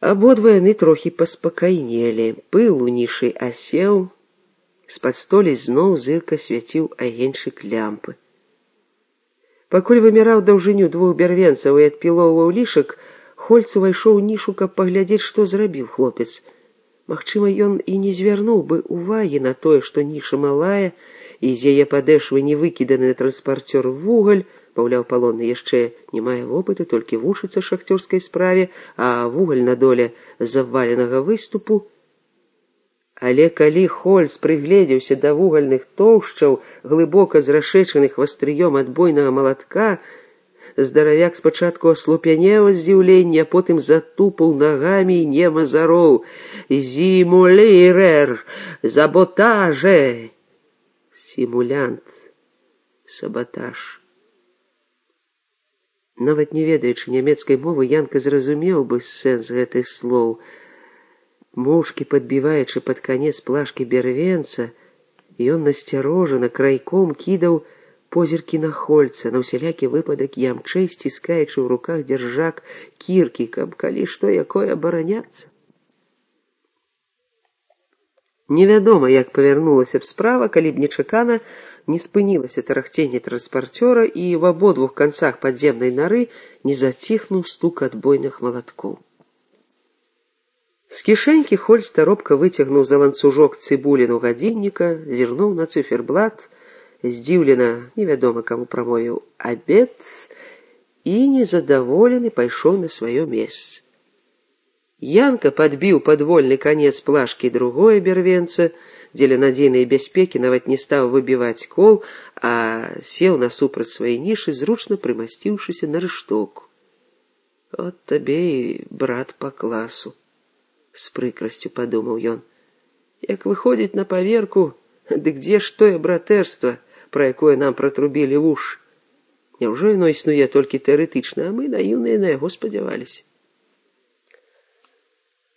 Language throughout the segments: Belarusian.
Абодва яны трохі паспакайнелі. Пыл у нішы асеў, з-пад столі зноў зырка свяціў агеньчык лямпы. Пакуль вымяраў даўжыню 2 бярвенцаў і адпілоўваў лішак, Хольц увайшоў у нішу, каб паглядзець, што зрабіў хлопец. Магчыма, ён і не звярнуў бы увагі на тое, што ніша малая, і з яе падэшвы не выкіданы на транспарцёр вугаль, маўляў, палонны яшчэ не мае вопыту, толькі вучыцца шахцёрскай справе, а вугаль на доле заваленага выступу. Але калі Хольц прыгледзеўся да вугальных тоўшчаў, глыбока зрашэчаных вастрыём адбойнага малатка, здаравяк спачатку аслупянеў ад здзіўлення, а потым затупаў нагамі і нема зароў: «Зімулірер! Заботаже!» Сімулянт, сабатаж. Нават не ведаючы нямецкай мовы, Янка зразумеў бы сэнс гэтых слоў. Моўчкі падбіваючы пад канец плашкі бярвенца, ён насцярожана крайком кідаў позіркі на Хольца, на ўсялякі выпадак ямчэй сціскаючы ў руках дзяржак кіркі, каб калі што якое абараняцца. Невядома, як павярнулася б справа, калі б нечакана не спынілася тарахценне транспарцёра і в абодвух канцах падземнай нары не заціхнуў стук адбойных малаткоў. З кішэнькі Хольц таропка выцягнуў за ланцужок цыбуліну гадзінніка, зірнуў на цыферблат, здзіўлена, невядома каму прамовіў «абед» і незадаволены пайшоў на сваё месца. Янка падбіў падвольны канец плашкі другое бярвенца, дзеля надзейнай бяспекі нават не стаў выбіваць кол, а сеў насупраць свае нішы, зручна прымасціўшыся на рыштоўку. «От табе і брат па класу», — з прыкрасцю падумаў ён. «Як выходзіць на паверку, дык дзе ж тое братэрства, пра якое нам пратрубілі вушы? Няўжо яно існуе толькі тэарэтычна, а мы наіўныя на яго спадзяваліся?»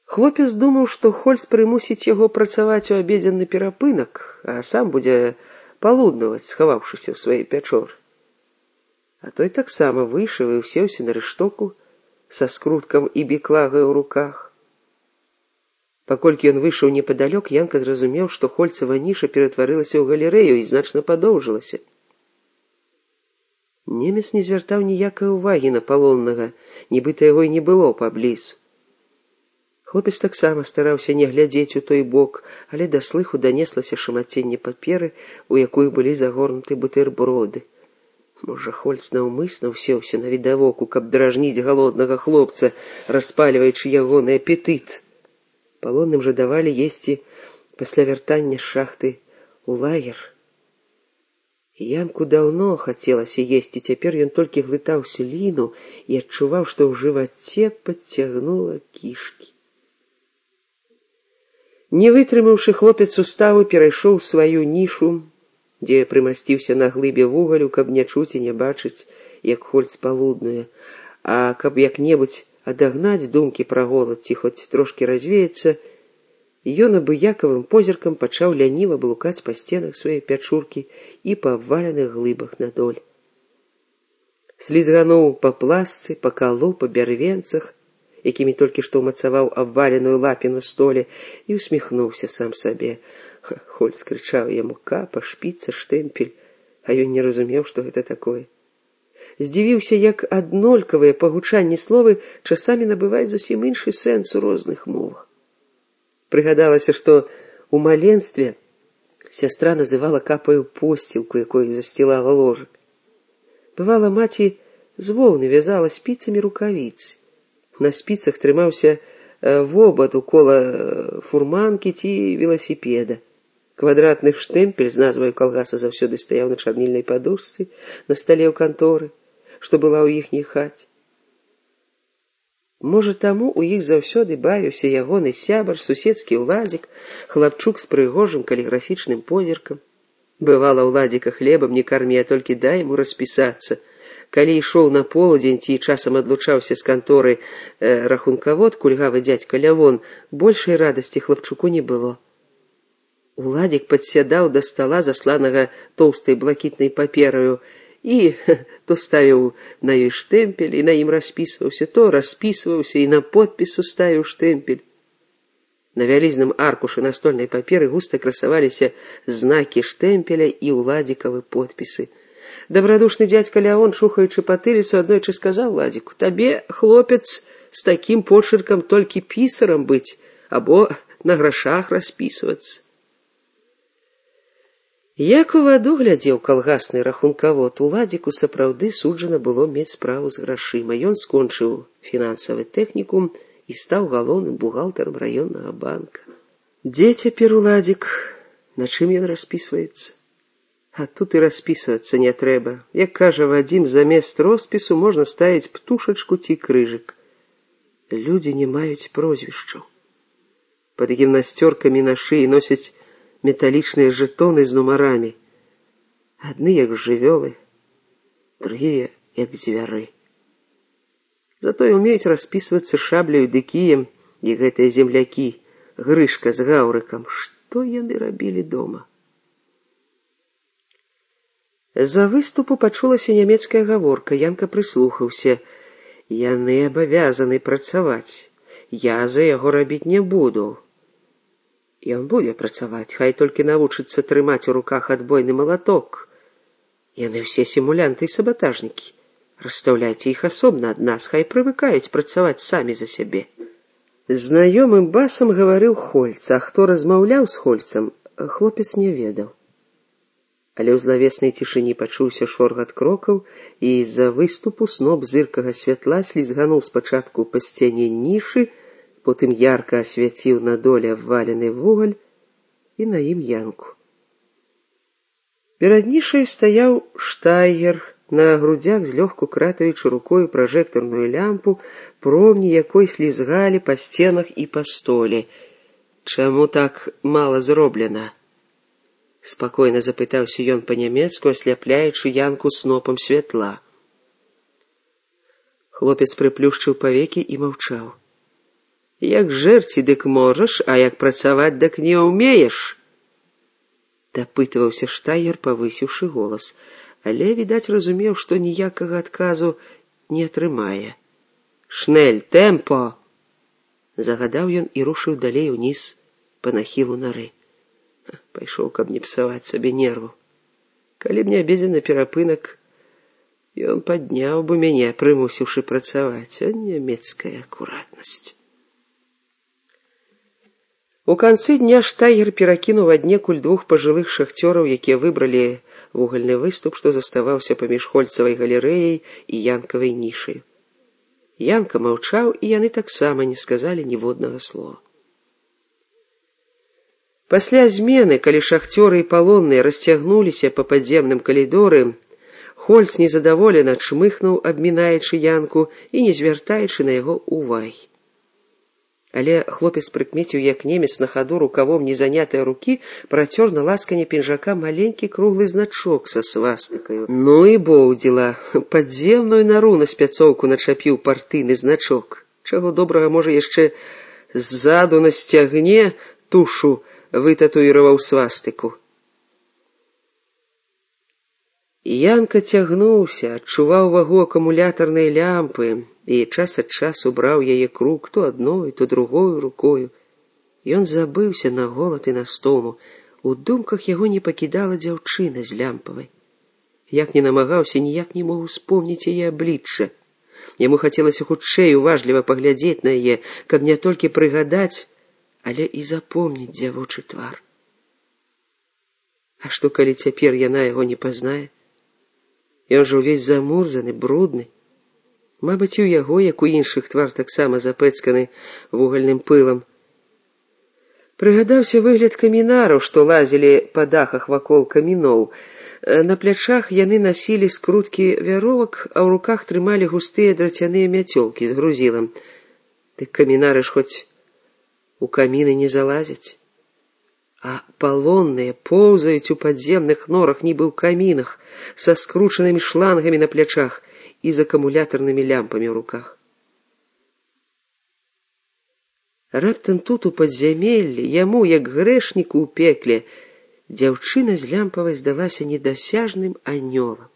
Хлопец думаў, што Хольц прымусіць яго працаваць у абедзенны перапынак, а сам будзе палуднаваць, схаваўшыся ў сваёй пячоры. А той таксама выйшаў і ўсеўся на рыштоку са скруткам і біклагай у руках. Паколькі ён выйшаў непадалёк, Янка зразумеў, што Хольцава ніша ператварылася ў галерэю і значна падоўжылася. Немец не звяртаў ніякай увагі на палоннага, нібыта яго і не было паблізу. Хлопец таксама стараўся не глядзець у той бок, але да слыху данеслася шамаценне паперы, у якую былі загорнуты бутэрброды. Можа, Хольц наўмысна ўсеўся на відавоку, каб дражніць галоднага хлопца, распальваючы ягоны апетыт. Палонным жа давалі есці пасля вяртання з шахты ў лагер. Янку даўно хацелася есці, цяпер ён толькі глытаў сліну і адчуваў, што ў жываце падцягнула кішкі. Не вытрымаўшы, хлопец устаў і перайшоў сваю нішу, дзе прымасціўся на глыбе вугалю, каб не чуць і не бачыць, як Хольц палуднуе, а каб як-небудзь адагнаць думкі пра голад ці хоць трошкі развеяцца, ён абыякавым позіркам пачаў ляніва блукаць па сценах сваёй пячуркі і па абваленых глыбах на доль. Слізгануў па пласцы, па калу, па бярвенцах, якімі толькі што ўмацаваў абваленую лапіну столе, і усміхнуўся сам сабе. Хольц крычаў яму капа, шпіца, штэмпель, а ён не разумеў, што гэта такое. Здзівіўся, як аднолькавыя па гучанні словы часамі набываюць зусім іншы сэнс у розных мовах. Прыгадалася, што ў маленстве сястра называла капаю посцілку, якой засцілала ложак. Бывала, маці з воўны вязала спіцамі рукавіцы. На спіцах трымаўся вобад укола фурманкі ці веласіпеда. Квадратны штэмпель з назваю калгаса заўсёды стаяў на чарнільнай падушцы на стале ў канторы, што была ў іхняй хаце. Можа, таму ў іх заўсёды бавіўся ягоны сябар, суседскі ўладзік, хлапчук з прыгожым каліграфічным позіркам. Бывала, ўладзіка хлебам не кармі, а толькі дай яму распісацца. Калі ішоў на полудзень ці часам адлучаўся з канторы рахункавод, кульгавы дзядзька Лявон, большай радасці хлапчуку не было. Уладзік падсядаў да стала, засланага тоўстай блакітнай папераю, і то ставіў на ёй штэмпель і на ім распісваўся, то распісваўся і на подпісу ставіў штэмпель. На вялізным аркушы настольнай паперы густа красаваліся знакі штэмпеля і ўладзікавы подпісы. Дабрадушны дзядзька Леон, шухаючы патыліцу, аднойчы сказаў Ладзіку: «Табе, хлопец, з такім почыркам толькі пісарам быць або на грашах распісвацца». Як у ваду глядзеў калгасны рахункавод, Уладзіку сапраўды суджана было мець справу з грашыма. Ён скончыў фінансавы тэхнікум і стаў галоўным бухгалтарам раённага банка. Дзе цяпер Уладзік? На чым ён распісваецца? А тут і распісвацца не трэба. Як кажа Вадзім, замест роспісу можна ставіць птушачку ці крыжык. Людзі не маюць прозвішчаў. Пад гімнасцёркамі на шыі носяць металічныя жэтоны з нумарамі. Адны як жывёлы, другія як звяры. Затое умеюць распісвацца шабляю ды кіем і гэтыя землякі, Грышка з Гаўрыкам. Што яны рабілі дома? За выступу пачулася нямецкая гаворка. Янка прыслухаўся. Яны абавязаны працаваць. Я за яго рабіць не буду. Ён будзе працаваць, хай толькі навучыцца трымаць у руках адбойны малаток. Яны ўсе сімулянты і сабатажнікі. Расстаўляйце іх асобна ад нас, хай прывыкаюць працаваць самі за сябе. Знаёмым басам гаварыў Хольц, а хто размаўляў з Хольцам, хлопец не ведаў. Але ў злавеснай цішыні пачуўся шоргат крокаў, і з-за выступу сноп зыркага святла слізгануў спачатку па сцяне нішы, потым ярка асвяціў на доле абвалены вугаль і на ім Янку. Перад нішаю стаяў штайгер, на грудзях злёгку кратаючы рукою пражэктарную лямпу, промні якой слізгалі па сценах і па столе. «Чаму так мала зроблена?» Спакойна запытаўся ён па-нямецку, асляпляючы Янку снопам святла. Хлопец прыплюшчыў павекі і маўчаў. «Як жэрці, дык можаш, а як працаваць, дык не ўмееш?» Дапытваўся штайгер, павысіўшы голас, але, відаць, разумеў, што ніякага адказу не атрымае. «Шнель, тэмпо!» Загадаў ён і рушыў далей уніз па нахілу нары. Пайшоў, каб не псаваць сабе нерву. Калі б не абедзены перапынак, ён падняў бы мяне, прымусіўшы працаваць, а нямецкая акуратнасць. У канцы дня штайгер перакінуў аднекуль двух пажылых шахцёраў, якія выбралі вугальны выступ, што заставаўся паміж Хольцавай галерэяй і Янкавай нішай. Янка маўчаў, і яны таксама не сказалі ніводнага слова. Пасля змены, калі шахцёры і палонныя расцягнуліся па падземным калідоры, Хольц незадаволена чмыхнуў, абмінаючы Янку і не звяртаючы на яго увагі. Але хлопец прыкмеціў, як немец на хаду рукавом незанятыя рукі працёр на ласкане пінжака маленькі круглы значок са свастыкаю. Ну і боўдзіла, падземную нару на спяцоўку начапіў партыйны значок. Чаго добрага, можа, яшчэ ззаду на сцягне тушу вытатуіраваў свастыку. Янка цягнуўся, адчуваў вагу акумулятарнай лямпы і час ад часу браў яе круг то адной, то другою рукою. Ён забыўся на голад і на стому. У думках яго не пакідала дзяўчына з лямпавай. Як не намагаўся, ніяк не мог успомніць яе аблічча. Яму хацелася хутчэй уважліва паглядзець на яе, каб не толькі прыгадаць, але і запомніць дзявочы твар. А што, калі цяпер яна яго не пазнае? Ён жа ўвесь замурзаны, брудны. Мабыць, і ў яго, як у іншых, твар таксама запэцканы вугальным пылам. Прыгадаўся выгляд камінараў, што лазілі па дахах вакол каміноў. На плячах яны насілі скруткі вяровак, а ў руках трымалі густыя драцяныя мяцёлкі з грузілам. Дык камінары ж хоць у каміны не залазяць. А палонныя поўзаюць у падземных норах, нібы ў камінах, са скручанымі шлангамі на плячах і з акумулятарнымі лямпамі ў руках. Раптам тут, у падзямеллі, яму, як грэшніку ў пекле, дзяўчына з лямпавай здалася недасяжным анёлам.